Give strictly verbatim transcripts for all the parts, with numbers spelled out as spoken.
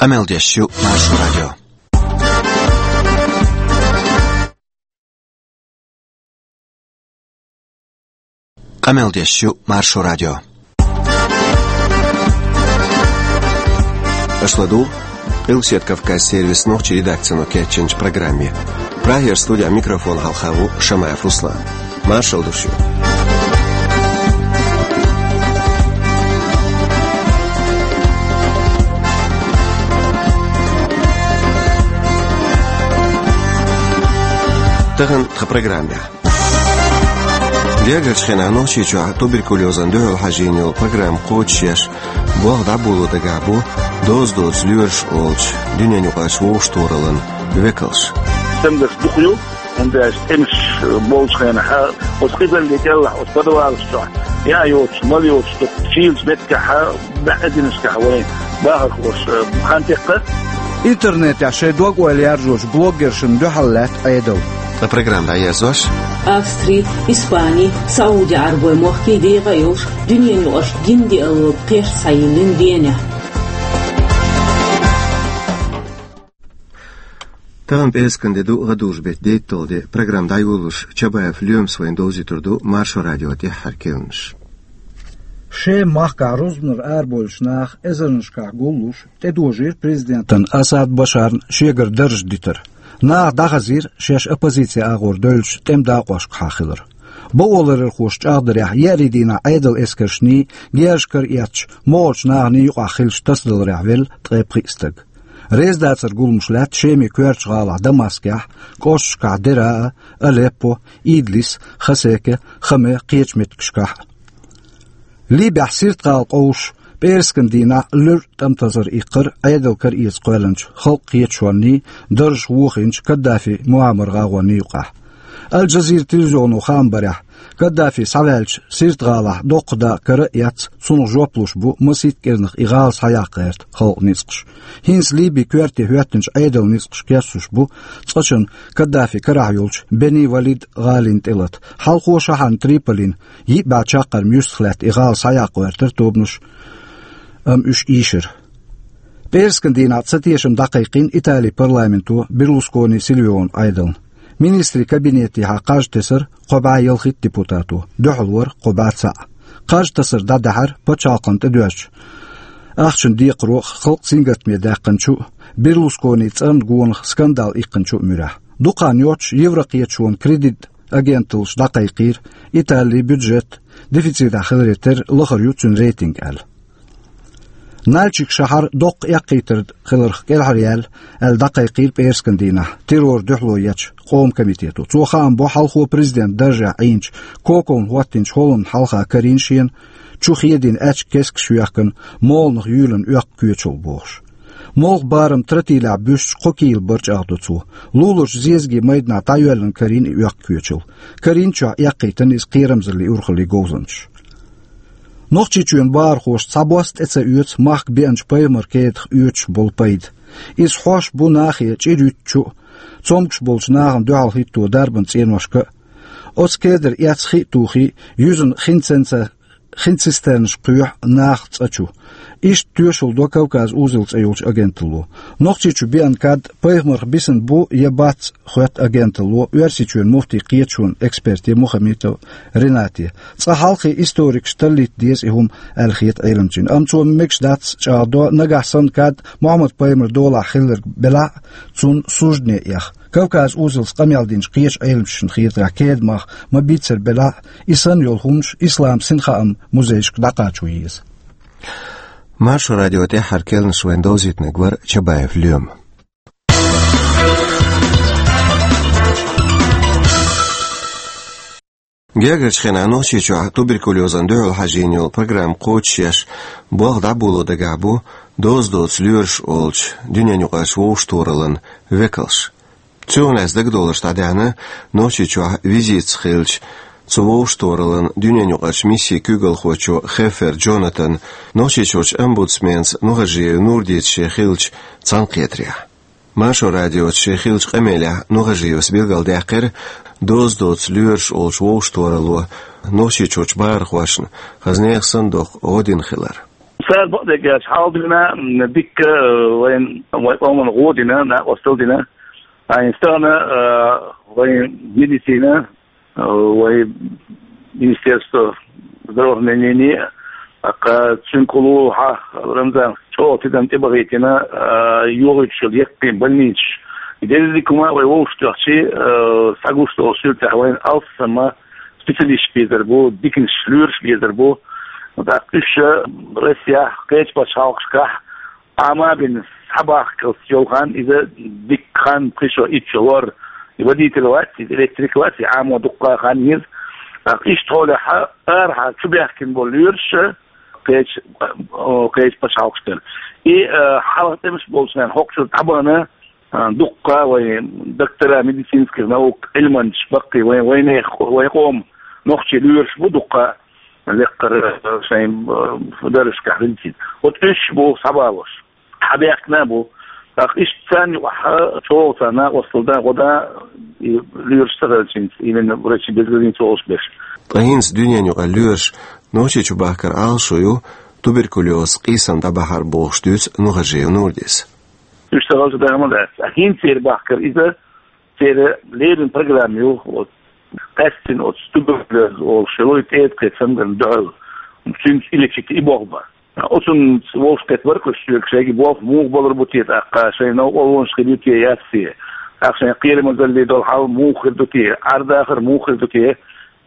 Къамел деш ю Маршо радио. Къамел деш ю Маршо радио. Аша ладугӀу Къилбаседа Кавказан сервисан нохчийн редакцино кечйинчу программе. Прагера студехь микрофон хьалха ву Шамаев Руслан. Маршалла ду шуьга. Тахана тхан программехь. Гергарчу хенахь Нохчийчохь туберкулезана дуьхьал хьажийна йолу программа кхочушъеш, болх дӀаболо дагахь бу доза доцу лоьраш олучу дуьненаюкъарчу вовшахтохараллин векалш. Стамгаш дукха ю, хӀунда аьлча тӀемаш болчу хенахь, оцу къизаллин кӀелахь, оцу подвалаш чохь, яа йоцуш, мала йоцуш, дукха шийлачу меттигашкахь, баьӀазинашкахь вайн бахархоша хан теккха. Интернетехь шайн дог-ойла яржочу блогершна дуьхьал лаьтта Ӏедал. Ткъа программа дӀаерзош: Австри, Испани, СаӀуди-Ӏаьрбойн мохкий декъа а йолуш, дуьненаюкъарчу гиндиалло кхерч схьайиллина Венехь. Тахана пӀераскан де ду, гӀадужу беттан дейтталгӀа де. Программа дӀайолалуш, Чабаев Лоьмас вайна довзуьйтур ду Маршо радион тӀаьххьара керланаш. Шеман махкахь рузбанара арабевллачу наха эзарнашкахь гуллуш, тӀедожийра президентана Асад Башарна шегара дарж дитар. Наха дӀахазийра шаьш оппозицин агӀор девллачу тӀеман дакъошкахьа хилар. Бакъоларъярхоша чӀагӀдарехь, еарин дийнахь Ӏедалан эскаршний, герзаш кара эцначу могӀарчу наханий юкъахь хиллачу тасадаларехь велла ткъе пхиъ стаг. Реза дацаран гуламаш лаьтта Шеман коьртачу гӀалахь Дамаскехь, кӀошташкахь Дераа, Алеппо, Идлис, Хасеке, Хаме, кхечу меттигашкахь а. Либехь Сирт-гӀала къовсуш, пӀераскан дийнахь луьра тӀамтасар иккхира Ӏедал кара эца кхоьллинчу халкъан кхеташонний, даржах вохийначу Каддафин муамар-гӀагӀонний юкъахь. Аль-Джазира телевизионо хаам барехь, Каддафи схьаваьлча, Сирт-гӀалахь доккха дакъа кара а эцна, цунах жоп луш бу масийтта кӀирнах и гӀала схьаяккха гӀерта халкъан ницкъаш. ХӀинца Либин коьрте хӀоьттинчу Ӏедалан ницкъаш кечлуш бу цкъачунна Каддафин карахь йолчу Бени Валид гӀалина тӀелата. Хьалхо шахьарна Триполина йиъ бӀе чаккхарма юьстах лаьтта и гӀала схьаяккха гӀоьртира тобанаш, амма уьш ийшира. ПӀераскан дийнахь цатешам дӀакхайкхийна Италин парламенто Берлускони-Сильвиони Ӏедална. Министрийн кабинетехьа кхаж тесира кхо бӀе ялхитта депутато, дуьхьал вара кхо бӀе цхьаъ. Кхаж тасар дӀадаьхьира пачхьалкхана тӀедоьжначу ахчанан декхаро халкъ сингаттаме даьккхинчу а, Берлусконин цӀарна гонах скандал иккхинчу а муьрехь. Дукха хан йоццуш Еврокхеташонан кредит агенталлаш дӀакхайкхийра, Италин бюджет дефицитехь хиларе терра лахара ю цуьнан рейтинг аьлла. Нальчик шахьар доккха эккхийтар хиларх кӀелхьаръяьлла аьлла дӀакхайкхийра пӀераскан дийнахь террорна дуьхьало ечу Къоман комитето. Цо хаам бо хьалхо президентан даржехь Ӏийначу Коковна хӀоттийначу хӀолламна хьалха карийна шена, чу хедийна аьчка кескаш йоьхкина, молханах юьйлина оьккху коьчалла бохуш. Молханан барам тротилехь буьстича кхо кийла бара чӀагӀдо цо. Луларчу зезагийн майданахь дӀайоьллина карийна и оьккху коьчалла. Карийначохь эккхийтина иза кхерамзаллин урхаллин говзанчаша. Нохчийчоьнан бахархоша цхьа бос тӀе ца оьцу махка беанчу пайхамаран кедах оьцуш болу пайда. Иза хьош бу нахе чӀир юьттучу а, цомгуш болчу нахана дуьхьал хӀитто дарбан цӀеношка а. Оцу кедара эцна хи а тухий, юьзна хин ценца-, хин цистернаш кхоьхьу нахах цӀа чу. Иштта тоьшалла до Кавказ узел цӀе йолчу агенталло. Нохчийчу беана кад пайхамарх бисина бу я бац, хоьтту агенталло Оьрсийчоьнан муфтийн кхеташонан эксперте Мухамитов Ренате. Цкъа хьалххе историкаша таллийта деза и хӀума аьлла хета Ӏеламчина. Амма цо мегаш дац чӀагӀдо, нагахь санна кад Мухьаммад-пайхамаран долахь хилларг белахь а, цунна суждане эха. Кавказ узелца къамел динчу кхечу Ӏеламчашна хетарехь, кеда мах ма-бийццара белахь а, и санна йолу хӀуманаш ислам синхаам музейшка дӀакхачо еза. Маршо радион тӀаьххьара керланаш вайна довзийтинарг вара Чабаев Лоьма. Гергарчу хенахь Нохчийчохь туберкулезана дуьхьал хьажийна йолу программа кхочушъеш, болх дӀаболо дагахь бу доза доцу лоьраш олучу дуьненаюкъарчу вовшахтохараллин векалш. Цунах лаьцна дагадовларш дӀадаьхьна Нохчийчохь визитца хиллачу цу вовшахтохараллин дуьненаюкъарчу миссин куьйгалхочо Хеффер Джонатана Нохчийчуьрчу омбудсменца Нухажиев Нурдица шен хиллачу цхьаьнакхетарехь. Маршо радиоца шен хиллачу къамелехь Нухажиевс билгалдаьккхира доза доцу лоьраш олучу вовшахтохаралло Нохчийчуьрчу бахархошна хаза нехан санна доккха гӀо дина хилар. Цара бакъдерг аьлча, хьалха дина, м, дикка, э, вайн, вайн къоман гӀо дина, накъостал дина. Ткъа стагана, э, вайн медицина, э, вайн Министерство здравоохранения, ткъа цуьнан кулу хьа Рамзан чӀогӀа тидам тӀебахийтина, э, йогӀуьйтуш йолу яккхий больницаш. И дерриг хӀума вай вовшахтоьхчи, э, схьагуш долу суьртехь вайн алссам специалисташ безар бу, диканаш, лоьраш безар бу. ТӀаккха уьш ша Россехь, кхечу пачхьалкхашкахь Ӏама а бина, схьабахкалц йолу хан, иза дикка хан, пхи шо, итт шо лор. И водитель вац, иза электрик вац, и Ӏамо дуккха хан еза. ТӀаккха иштта хьолехь арахьара чубаьхкина болу лоьраш кхечу, о, кхечу пачхьалкхашкара. И, э, хьалха тӀемаш болчу хенахь хӀокху чуьра дӀабахана, а, дуккха а вайн доктора медицинских наук, Ӏилманчаш баккхий, вайн, вайнех, вайн къоман нохчий лоьраш бу дуккха а лекхара, а, шайн, а, даржашкахь хилча. Вот уьш бу схьабалош. Схьабаьхкина а бу. ТӀаккха иштта царна юкъахь чӀогӀа царна накъостал дан, гӀо дан, и лоьраш ца хилча, именно врачи без границ олуш берш. Ткъа хӀинца дуьненан юкъара лоьраш Нохчийчу бахкар Ӏалашо ю туберкулез, къийсам дӀабахьар бохуш дуьйцу Нухажиев Нурдис. Уьш ца хилча, даха ма дац. А хӀинца церан бахкар иза, церан леррина программа ю, вот, къаьстина оцу туберкулез олуш йолу и тӀеда кхин цамгарна дуьхьал, цуьнца и лечить и болх бан. Оцунца вовшахкхетта бара-кх уьш соьга, шайга болх муха балур бу те тӀаккха, шайн новкъарлонаш хир ю те, яц те, тӀаккха шайн кхерамазалле долу хьал муха хир ду те, Ӏар-дахар муха хир ду те,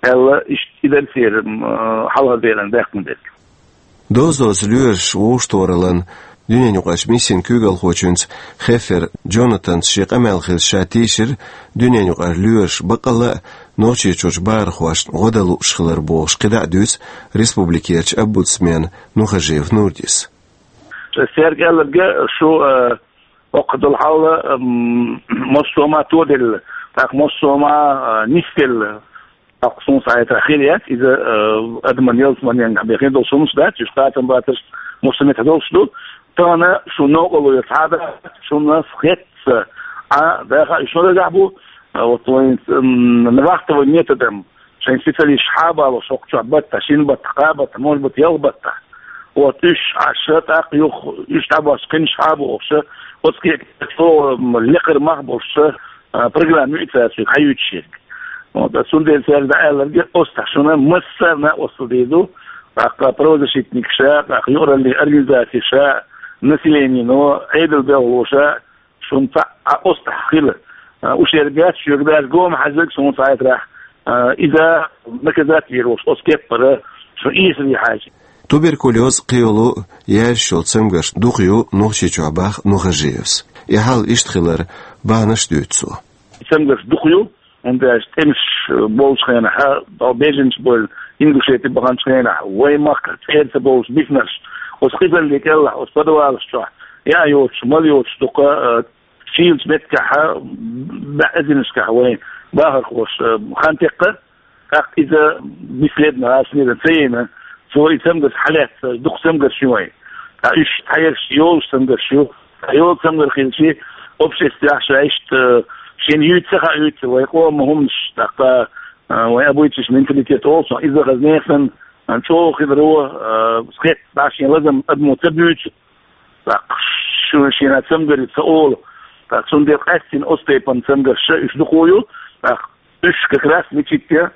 аьлла, иштта и дара церан, м, хьалха деран даьккхина дерг. Доза-доза лоьраш вовшахтохараллин дуьненан юкъарчу миссин куьйгалхочуьнца Хеффер Джонатанца шен къамел хилча ша тийшира дуьненан юкъара лоьраш баккъалла а Нохчийчуьрчу бахархошна гӀо дан лууш хилар бохуш кхидӀа а дуьйцу республикерчу омбудсмена Нухажиев Нурдис. Цаьрга аьлларг, шу, э, оккха долу хьал, м, массо а ма тоделла, тӀаккха массо а ма, э, нисделла. ТӀаккха суна схьахетарехь хир яц иза, э, адаман ялсаманенгахь бен хир долуш хӀуманаш дац, уьш кхатам бацарш массо а меттехь долуш ду. Тахана шун новкъарло яц хьада, шуна хетта, а, даха уьш шун дагахь бу, а, вот вайн, м, вахтовый методом шайн специалисташ хьабалош хӀокху чохь баттахь, шина баттахь, кхаа баттахь, может быть, ялх баттахь. Вот уьш Ӏаш, тӀаккха юха уьш дӀабош кхинаш хьабохуш, оцу кепара чӀогӀа, м, лекхара мах болуш, а, программа ю и цаьрца хьаюьйцуш ерг. Вот, а цундела цаьрга дӀааьлларг, оццахь шуна массарна а оццул дийр ду, тӀаккха правозащитникаша, тӀаккха юкъараллин организацеша, населенино, Ӏедал белхалоша, шуна цхьаъ а оццахь хила. А, уьш ерг яц, шуьга даже гома хьаьжнарг суна схьахетарехь, а, иза наказать вийр волуш, оцу кеппара шуна ийсале хьаьжча. Туберкулез, кхийолу яьржаш йолу цамгарш дукха ю Нохчийчохь, боху Нухажиевс. И хьал иштта хилар бахьанаш дуьйцу цо. Цамгарш дукха ю, хӀунда аьлча тӀемаш, э, болчу хенахь, а, беженцы болу Ингушети баханчу хенахь, вайн махкахь цӀера ца болуш бисинарш, оцу къизалле кӀелахь, оцу подвалаш чохь, яа йоцуш, мала йоцуш дукха, э, шийлачу меттигехь, бӀе эзарнашкахь вайн бахархоша, э, хан теккха, тӀаккха иза бесследно, гӀашнера ца йина, цо и цамгарш хьалаьцна, дукха цамгарш ю вайн. Ткъа уьш хьаерш йолуш цамгарш ю. Ткъа йолу цамгар хилчи, обществехь ша иштта, э, шена юьйца ца хаьа юьйца, вайн къоман хӀуманаш, тӀаккха, э, вайн обычный менталитет олу цунах, иза хаза нехан, э, чӀогӀа хиларо, э, хетта, дӀа шен лазам адамо ца буьйцу. ТӀаккха шу шена цамгар ю ца олу. ТӀаккха цундела къаьстина оцу тайпана цамгарш уьш дукха ю. ТӀаккха уьш как раз лечить ян,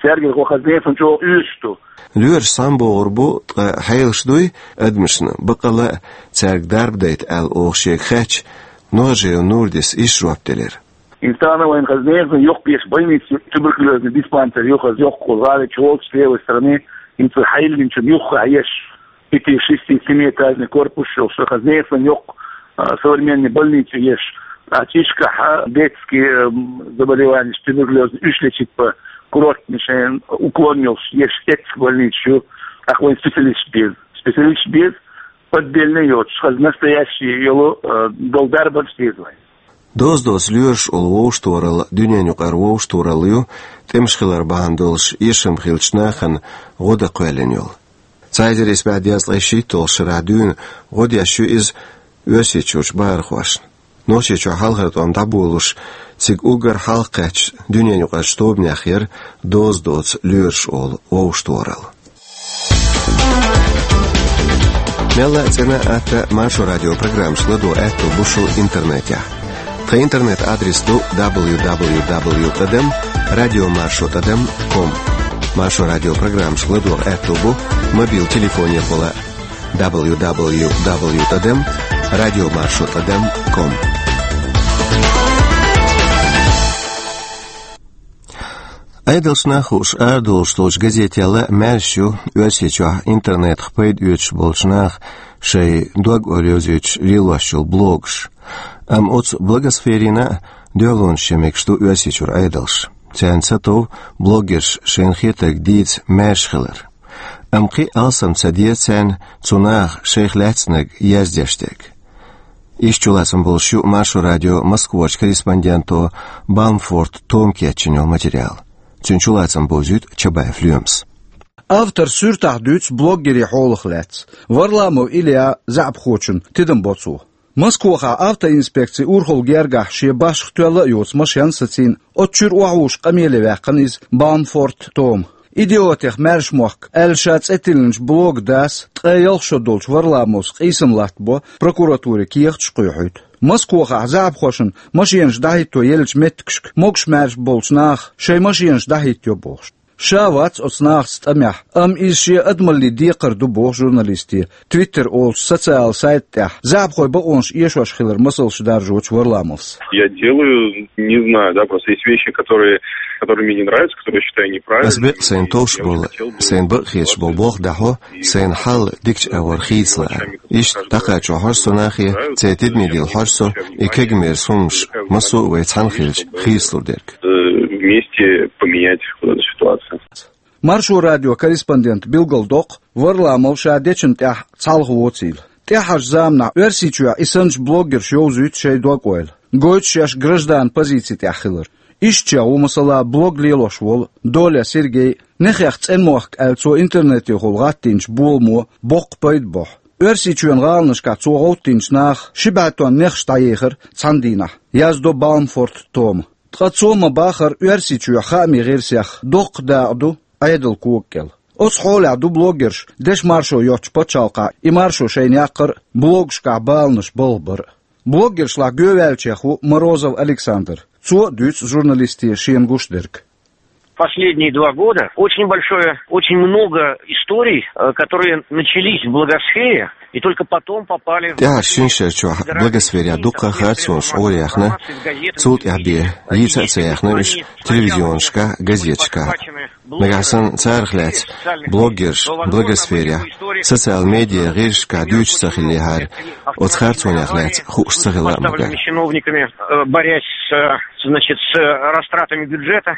цаьргара хаза нехан чӀогӀа оьшуш ду. Лоьраш схьабогӀур бу, ткъа хьелаш дуй адамашна, баккъалла а цаьрга дарба дайта аьлла, оха шега хаьттича, Нухажиев Нурдис иштта жоп делира. Инстана вайн хаза нехан йоккха еш больница ю, туберкулезный диспансер ю хаза йоккха, гӀали чу волчу левой стороны, хӀинца хьайиллинчун юххехь еш. Пяти-, шести-, семиэтажный корпус йолуш, хаза нехан йоккха, а, современный больница еш. А чишкахь, а, детский, м, заболеваниеш, туберкулез, уьш лечить бан, курортный шайн уклон йолуш еш, эццахь больница ю. ТӀаккха вайн специалисташ беза. Специалисташ беза, отдельно йоцуш, хаза настоящий йолу, а, долу дарбанаш деза вайн. Доза-доза лоьраш олу вовшахтохаралла дуьненан юкъара вовшахтохаралла ю, тӀемаш хилар бахьана долуш эшам хиллачу нахана гӀо дан кхоьллина йолу. Цхьа эзар исс бӀе дезткъе шийтталгӀачу шарахь дуьйна гӀо деш ю иза Оьрсийчуьрчу бахархошна. Нохчийчохь хьалхара тӀом дӀаболуш, цига уггар хьалха кхаьчначу дуьненан юкъарчу тобанех яра доза доцу лоьраш олу вовшахтохаралла. Мелла а цӀена а, атта Маршо радион программашка ладогӀа аьттув бу шун интернетехь. Тхан интернет-адрес ду дабл ю дабл ю дабл ю тӀадам радиомаршо тӀадам ком. Маршо радион программашка ладогӀа аьттув бу мобил телефонехула дабл ю дабл ю дабл ю тӀадам радиомаршо тӀадам ком. Ӏедалш нах хууш арадолуш долчу газетел а маьрша ю Оьрсийчохь интернетах пайда оьцуш болчу наха шайн дог-ойла йовзуьйтуш лелош йолу блогаш. Амма оцу блогосферина а дуьхьалонаш ян мегаш ду Оьрсийчуьра Ӏедалш. Царна сатов блогерш шайна хетарг дийца маьрша хилар. Амма кхин а алсам ца деза царна цу наха шайх лаьцнарг яздеш дерг. Иштта чулацам болуш ю Маршо радион Москварчу корреспонденто Баумфорт Тома кечйина йолу материал. Цуьнан чулацам бовзуьйту Чабаев Лоьмас. Автор суьртахь дуьйцу блогерийн хьолах лаьцна. Варламов Ильян заьӀапхочун тидам бо цо. Москвахь автоинспекцин урхалла гергахь шен башха тоьлла а йоцу машен сацийна, оцу чуьра охьавуссуш къамеле ваьккхина иза Баумфорт Тома. «Идиотех маьрша мохк» аьлла ша цӀе тиллинчу блоган дас ткъе ялх шо долчу Варламовс къийсам латтабо, прокуратуре кехаташ а кхоьхьуьйту. Москвахь заьӀапхошна машенаш дӀахӀитто еллачу меттигашка могуш-маьрша болчу наха шайн машенаш дӀахӀиттайо бохуш. Ша вац оцу нахаца тӀамехь, амма иза шен адамаллин декхар ду боху журналисте Twitter олучу социал сайта тӀехь заьӀапхойн бакъонаш эшош хилар масалш даржочу Варламовс. Я делаю, не знаю, да, просто есть вещи, которые, которые мне не нравятся, которые я считаю неправильными. Ас бекъ сайна товш болу, сайна бакъ хеташ болу болх дӀахьо, сайна хьал дикачу агӀор хийцалара. Иштта дӀакхачо хьожу со нахе, церан тидаме дилла хьожу со, и кегамерса хӀуманаш массо а вай цхьаьна хилча хийцалур дерг. Э, вместе поменять вот эту ситуацию. Маршо радион корреспондента билгалдоккху, Варламов ша дечун тӀехь цхьалха воцийла. ТӀаьххьарчу заманахь Оьрсийчохь и санначу блогерша йовзуьйту шайн дог-ойла, гойту шаьш гражданан позици тӀехь хилар. Иштта чӀогӀа ву, масала, блог лелош волу Доля Сергей, «Нехех цӀена мохк» аьлла цо интернетехула гӀаттийначу боламо боккха пайда бохьу. Оьрсийчоьнан гӀаланашкахь цо гӀовттийначу наха ши бӀе тонн нехаш дӀаехира цхьана дийнахь, яздо Баумфорт Тома. Ткъа цо ма-баххара Оьрсийчоь хаамийн гӀирсех доккха дакъа ду Ӏедалан кога кӀел. Оцу хьолехь ду блогерш дешан маршо йоцучу пачхьалкхехь и маршо шайна яккхар а, блогашкахь баланаш балха бар а. Блогершлахь гоьваьллачех ву Морозов Александр. Цо а дуьйцу журналисте шена гуш дерг. Последние два года очень большое, очень много историй, э, которые начались в блогосфере и только потом попали в... ТӀаьхьарчу шина шарчохь блогосферехь дуккха а харцонаш гӀораяьхна, цул тӀаьхьа бен йийца а ца яьхна уьш телевизионашкахь, газеташкахь. Нагахь санна царах лаьцна блогерш блогосферехь, социал медиа гӀирсашкахь дуьйцуш ца хиллехьара, оцу харцонех лаьцна хууш ца хила а магар. Чиновниками, э, борясь с, э, значит, с, э, растратами бюджета.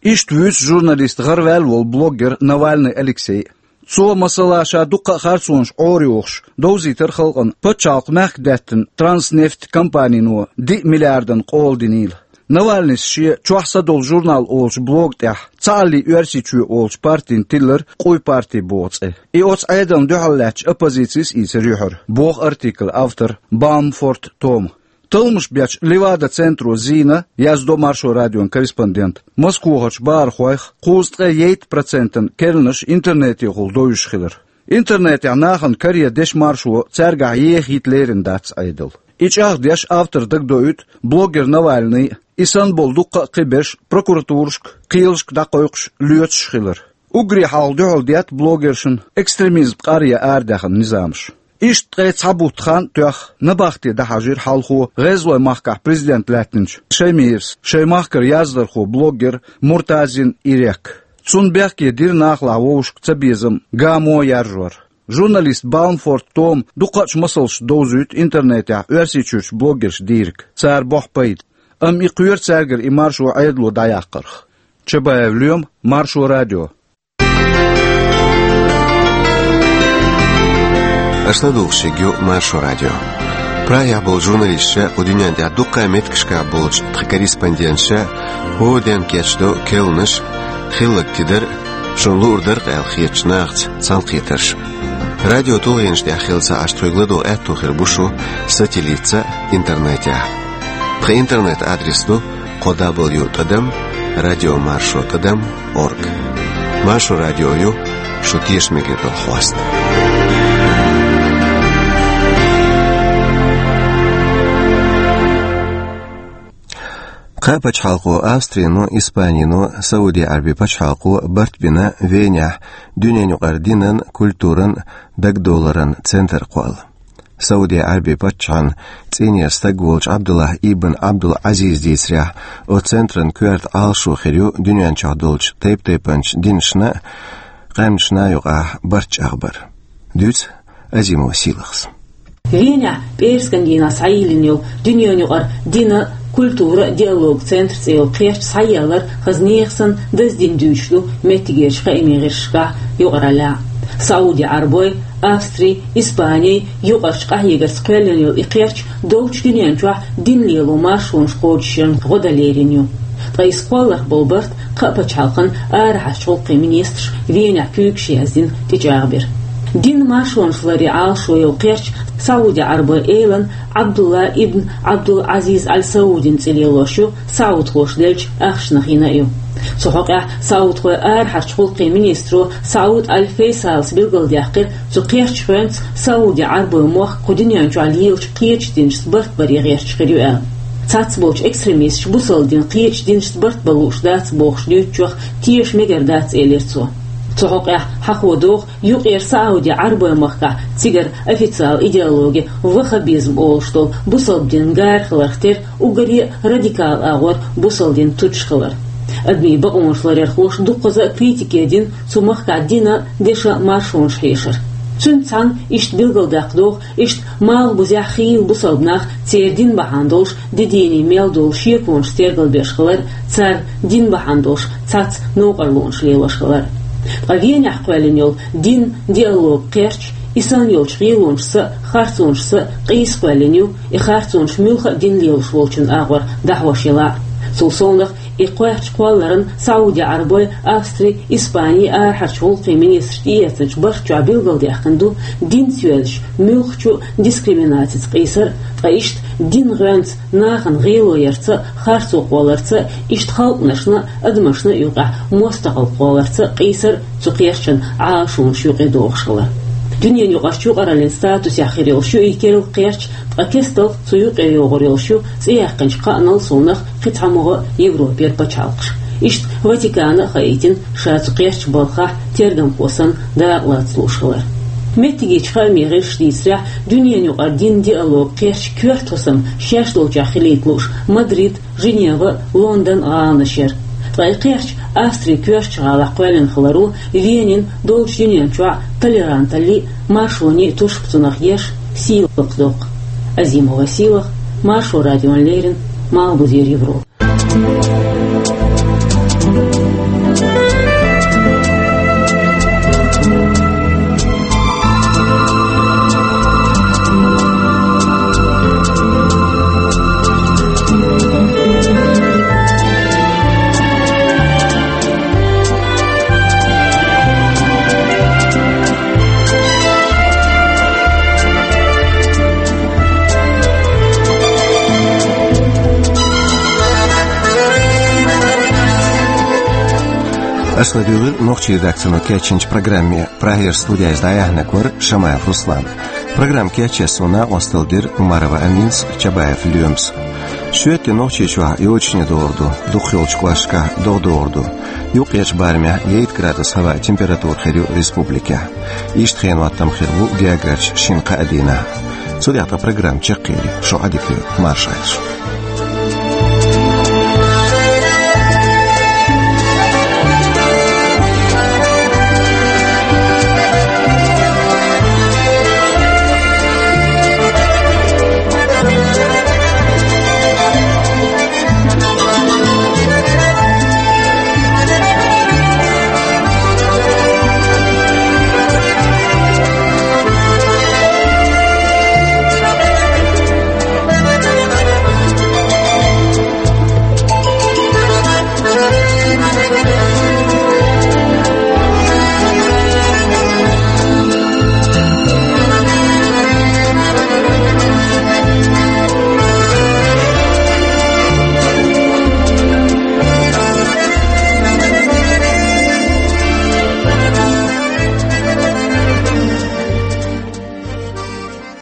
Иштта вуьйцу журналист гӀараваьлла волу блогер Навальный Алексей. Цо, масала, ша дуккха а харцонаш Ӏорайохуш, довзийтира халкъана пачхьалкх мехкдаьттина Транснефть компанино диъ миллиардан къола динийла. Навальныйс шен «Чохь са долу журнал» олучу блога тӀехь «Цхьааллий Оьрсийчоь» олучу партина тиллира «Къуй парти» боху цӀе. И оцу Ӏедална дуьхьал лаьттачу оппозицис ийцира юьхьара, боху артиклан автор Баумфорт Тома. Талламаш бечу Левада-центро зийна, яздо Маршо радион корреспондента, Москвахарчу бахархойх кхузткъе ейтта процентан керланаш интернетехула довзуш хилар. Интернетехь нахана каре дешан маршо цаьргахь ехийта лерина дац Ӏедал. И чӀагӀдеш автор дагадоуьйту блогер Навальный, и санна болу дуккха а кхиберш прокуратурашка, кхелашка дӀакхойкхуш, лоьцуш хилар. Уггаре хьалха дуьхьал детта блогершна экстремизм къаръян арадаьхна низамаш. Иштта ткъе цхьа бутт хан а тоьхна, набахте дӀахьажийра хьалхо ГӀезалойн махкахь президент лаьттинчу Шаймирас шайн махкара яздархо, блогер Муртазин Ирек. Цунна бехке дира нахалахь вовшашка цабезам, гамо яржор. Журналист Баумфорт Тома дукхачу масалшца довзуьйту интернетехь Оьрсийчуьрчу блогерш дийриг, цара бохьу пайда. Амма и кхоьру цаьргара и маршо Ӏедало дӀаяккхарх. Чабаев Лоьма, Маршо радио. Аша ладугӀуш ерг ю Маршо радио. Прагехь болчу журналисташа, кху дуьнен тӀехь дуккха а меттигашкахь болчу тхан корреспонденташа хӀора ден кечдо керланаш, хилларг тидар а, шуна луур дара-кх аьлла хетачу нахаца цхьаьнакхетарш а. Радио тулгӀенаш тӀехь хилла ца Ӏаш, тхоьга ладогӀа аьтту хир бу шун сателлитца а, интернетехь а. Тхан интернет-адрес ду кхо дабл ю тӀадам радиомаршо тӀадам орг. Маршо радио ю шун тешам мегар долу хьоста. Кхаа пачхьалкхо, Австрино, Испанино, Сауди Ӏарбийн пачхьалкхо барт бина Венехь дуьненаюкъара динан, культуран, дагадовларан центр кхолла. Сауди Ӏарбийн паччахьан цӀийнера стаг волчу Ӏабдуллахь ибн Ӏабдул-Ӏазиза дийцарехь, оцу центран коьрта Ӏалашо хир ю дуьнен чохь долчу тайп-тайпанчу динашна а, къаьмнашна а юкъахь барт чӀагӀбар. Дуьйцу Азимова Сийлахьас. Венехь пӀераскан дийнахь схьайиллина йолу дуьненаюкъара динан, культуран диалоган центр цӀе йолу кхерч схьаеллар хаза нехан санна даздина дуьйцуш ду меттигерчу хаамийн гӀирсашкахь юкъараллехь. Сауди Ӏарбойн, Австрин, Испанин юкъарчу къахьегарца кхоьллина йолу и кхерч долчу дуьнен чохь дин лело маршонаш кхочушъярна гӀо дан лерина ю. Ткъа иза кхолларх болу барт кхаа пачхьалкхан арахьарчу гӀуллакхийн министраша Венехь куьйгаш яздина тӀечӀагӀбира. Динан маршонаш ларъяран Ӏалашо йолу кхерч Сауди Ӏарбойн элан Ӏабдулла ибн Ӏабдул-Ӏазиз Аль Саудин цӀе лелош ю, саудхоша деллачу ахчанах йина а ю. Цу хьокъехь саудхойн арахьарчу гӀуллакхийн министро Сауд Аль Фейсалас билгалдаьккхира, цу кхерчан хьоьнца Сауди Ӏарбойн мохк кху дуьнен чохь лелачу кхечу динашца барт баре гӀерташ хир ю аьлла. Цхьацболчу экстремисташа бусалба дин кхечу динашца барт бан лууш дац бохуш дуьйцучух теша мегар дац, элира цо. Цу хьокъехь хьахо доху, юкъера Сауди Ӏарбойн махкахь цигара официалан идеологи ваххабизм олуш долу бусалба динан гара хиларх тера уггаре а радикал агӀор бусалба дин тутуш хилар. Адамийн бакъонаш ларъярхоша дуккхаза а критике дина цу махкахь динан, дешан маршонаш хьешар. Цуьнца цхьаьна иштта билгалдаккха доху, иштта малхбузехь хийла бусалба нах церан дин бахьана долуш дидийний мел долу шеконаш тергалбеш хилар, цара дин бахьана долуш цхьацца новкъарлонаш лелош хилар. Ткъа Венехь кхоьллина йолу динан диалоган кхерч и санна йолчу гӀелонашца а, харцонашца а къийса кхоьллина ю, и харцонаш муьлхха а дин лелош волчун агӀор дӀахьош елахь а. Цул совнах, и кхерч кхолларан Сауди Ӏарбойн, Австрин, Испанин арахьарчу гӀуллакхийн министраш тӀеэцначу барт чохь билгалдаьккхина ду динца йоьзначу муьлххачу а дискриминацица къийсар а, ткъа иштта динан гӀоьнца нахана гӀело ярца а, харцо кхолларца а, иштта халкъанашна а, адамашна а юкъахь мостагӀалла кхолларца а къийсар а цу кхерчан Ӏалашонаш юкъе догӀуш хилар. Дуьненаюкъарчу юкъараллин статусехь хир йолуш ю и керла кхерч, ткъа кестта цу юкъе йогӀур йолуш ю цӀе яьккхинчу кхаанал совнах кхин цхьа могӀа Европера пачхьалкхаш. Иштта Ватикана а хаийтина, ша цу кхерчан балхахь тергамхо санна дакъа лаца лууш хилар. Меттигерчу хаамийн гӀирсаша дийцарехь, дуьненаюкъара динан диалоган кхерч коьрта хӀусам шаьш долчохь хилийта лууш Мадрид, Женева, Лондон гӀаланаш яра. Ткъа и кхерч Австрин коьртачу гӀалахь кхоьллина хиларо, Венин долчу дуьнен чохь толеранталлин а, маршонийн а тушпа цунах еш сийлахь доккху. Азимова Сийлахь, Маршо радиона леррина, Малхбузера Европа. Аша ладуьйгӀира нохчийн редакцино кечйинчу программе. Прагера студехь дӀаяьхьнарг вара Шамаев Руслан. Программа кечъеш суна накъосталла дира Умарова Аминас, Чабаев Лоьмас. Шоьтан Нохчийчохь йочане догӀур ду, дукхахйолчу кӀошташкахь догӀа догӀур ду. Юккъерчу барамехь яйта градус хӀаваъ температура хир ю республикехь. Иштта хенан хӀоттам хир бу гергарчу шина-кхаа дийнахь. Цу тӀехь тхан программа чекхъели, шу Ӏадика йойла, марша Ӏайла шу.